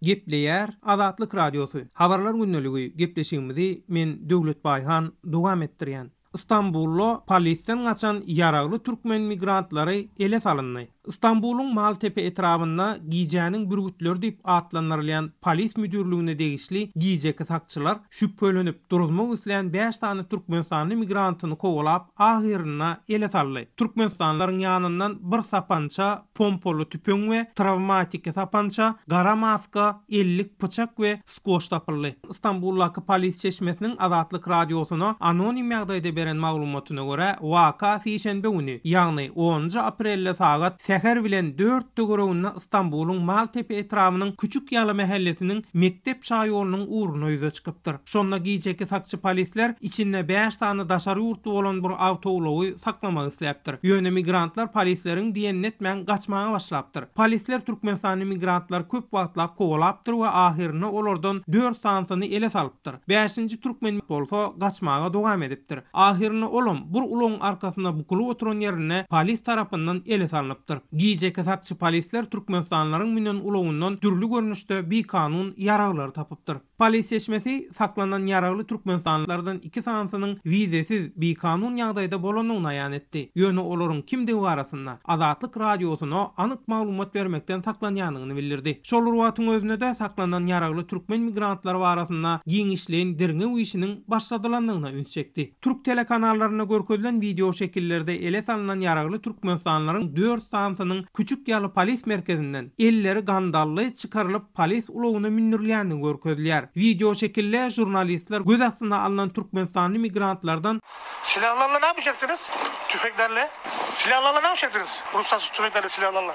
Gepleýär Azatlyk Radiosy, Habarlar gündeligi gepleşigimizi men Döwlet Baýhan dowam etdirýän. Stambulda polisden gaçan ýaragly türkmen migrantlary ele salyndy. Stambulyň Maltepe etrabynda gijäniň bürgütleri diýip atlandyrylýan polis müdirligine degişli gijeki sakçylar şübhelenip duruzmak islän bäş sany türkmenistanly migrantyny kowalap ahyrynda ele saldy. Türkmenistanlylaryň ýanyndan bir sapança, pompaly tüpeň we trawmatiki sapança, gara maska, ellik pyçak we skoç tapyldy. Stambuldaky polis çeşmesiniň Azatlyk Radiosyna anonim ýagdaýda beren maglumatyna görä, waka sişenbe güni, ýagny onunjy aprelde sagat säher bilen dört töwereginde Stambulyň Maltepe etrabynyň Küçük Ýaly mähellesiniň Mekdep şaýolunyň ugrunda ýüze çykypdyr. Şonda gijeki sakçy polisler içinde bäş sany daşary ýurtly bolan bir awtoulagy saklamak isläpdir. Ýöne migrantlar polisleriň diýenini etmän gaçmaga başlapdyr. Polisler türkmenistanly migrantlary köp wagtlap kowalapdyr we ahyrynda olardan dört sanysyny ele salypdyr. Bäşinji türkmen bolsa gaçmaga dowam edipdir. Ahyrynda olam bir ulagyň arkasynda bukulyp oturan ýerinde polis tarapyndan ele salnypdyr. Gijeki sakçy polisler türkmenistanlylaryň münen ulagyndan dürli görnüşde bikanun ýaraglary tapypdyr. Polis çeşmesi saklanan ýaragly türkmenistanlylardan iki sanysynyň wizesiz, bikanun ýagdaýda bolandygyny aýan etdi. Ýöne olaryň kimdigi barasynda Azatlyk Radiosyna anyk maglumat bermekden saklanýandygyny bildirdi. Şol bir wagtyň özünde-de saklanan ýaragly türkmen migrantlary barasynda giňişleýin derňew işiniň başladylandygyna üns çekdi. Türk telekanallarynda görkezilen wideoşekillerde ele salnan ýaragly türkmenistanlylaryň dört sanysynyň Küçük Ýaly polis merkezinden, elleri gandally, çykarylyp, polis ulagyna mündürilýändigi görkezilýär. Wideoşekilde žurnalistler göz astyna alnan türkmenistanly migrantlardan, Silahlarla ne yapacaktınız? Tüfeklerle. Silahlarla ne yapacaktınız? Ruhsatsız tüfeklerle, silahlarla.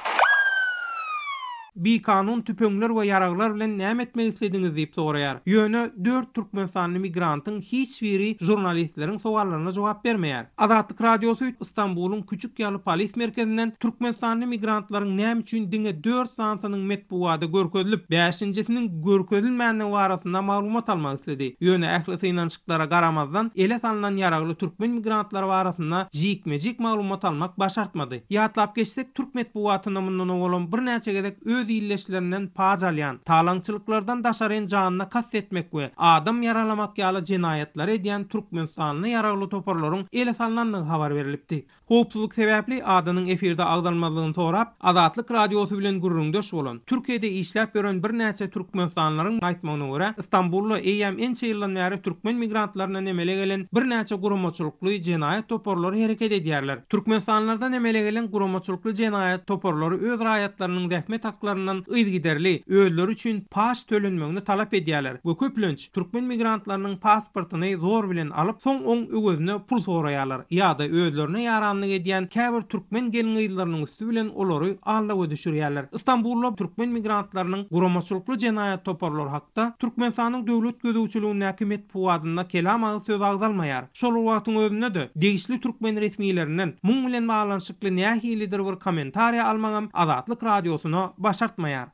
Bikanun tüpeňler we ýaraglar bilen näme etmek islediňiz diýip soraýar. Ýöne dört türkmenistanly migrantyň hiç biri žurnalistleriň sowallaryna jogap bermeýär. Azatlyk Radiosy Stambulyň Küçük Ýaly polis merkezinden türkmenistanly migrantlaryň näme üçin diňe dört sanysynyň metbugada görkezilip, bäşinjisiniň görkezilmändigi barasynda maglumat almak isledi. Ýöne ähli synanyşyklara garamazdan, ele salnan ýaragly türkmen migrantlary barasynda jikme-jik maglumat almak başartmady. Ýatlap geçsek, türk metbugatynda mundan owalam birnäçe gezek öz ildeşlerinden paç alýan, talaňçylyklardan daşaryn janyna kast etmek we adam ýaralamak ýaly jenaýatlary edýän türkmenistanly ýaragly toparlaryň ele salnandygy habar berlipdi. Howpsuzlyk sebäpli adynyň efirde agzalmazlygyny sorap, Azatlyk Radiosy bilen gürrüňdeş bolan, Türkiýede işläp ýören birnäçe türkmenistanlylaryň aýtmagyna görä, Stambulda eýýäm ençe ýyldan bäri türkmen migrantlaryndan emele gelen birnäçe guramaçylykly jenaýat toparlary hereket edýärler. Türkmenistanlylardan emele gelen guramaçylykly jenaýat toparlary öz raýatlarynyň zähmet haklaryndan yzygiderli özleri üçin paç tölenmegini talap edýärler we köplenç türkmen migrantlarynyň pasportyny zor bilen alyp, soň oň öwezine pul soraýarlar ýa-da özlerine ýaranlyk edýän käbir türkmen gelin-gyzlarynyň üsti bilen olary aldawa düşürýärler. Stambulda türkmen migrantlarynyň guramaçylykly jenaýat toparlary hakda Türkmenistanyň döwlet gözegçiligindäki metbugatynda kelam agyz söz agzalmaýar. Şol bir wagtyň özünde-de, degişli türkmen resmilerinden muň bilen baglanyşykly nähilidir bir kommentariýa almagam Azatlyk Radiosyna başartmaýar.